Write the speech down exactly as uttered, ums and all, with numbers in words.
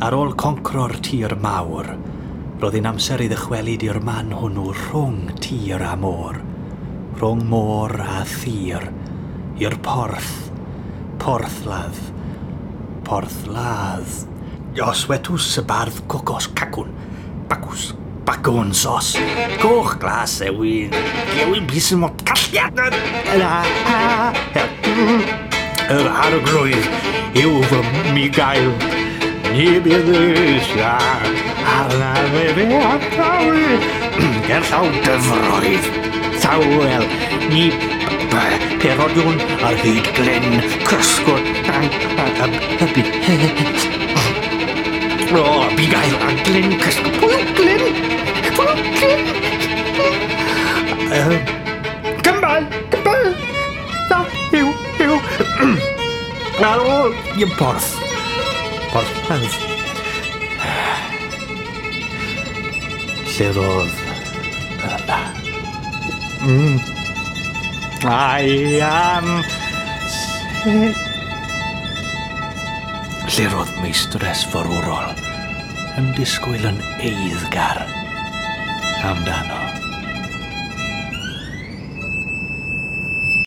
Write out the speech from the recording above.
Ar ôl concro'r tir mawr, roedd hi'n amser i ddychwelyd i'r man hwnnw rhwng tir a môr, rhwng môr a thir, i'r porth, porthladd, porthladd. Os wetws y bardd cocos cacwn, bacws, bacwn sos, coch glas ewin, gewyn bys yn mot calliad. Yr arglwydd yw fy migael. Ni bydd eisiau arnaf efe atawi. Gerllaw dyfroedd, tawel, ni perodiwn ar hyd glen, cysgod, o, bugail a glen cysgod. Pwy yw Glen? Pwy yw Glen? Cymbal, cymbal, da, yw, yw. Ar ôl i'r porth. Porthladd. Lle roedd yna. Mm. I am... Lle roedd meistres forwrol yn disgwyl yn eiddgar amdano.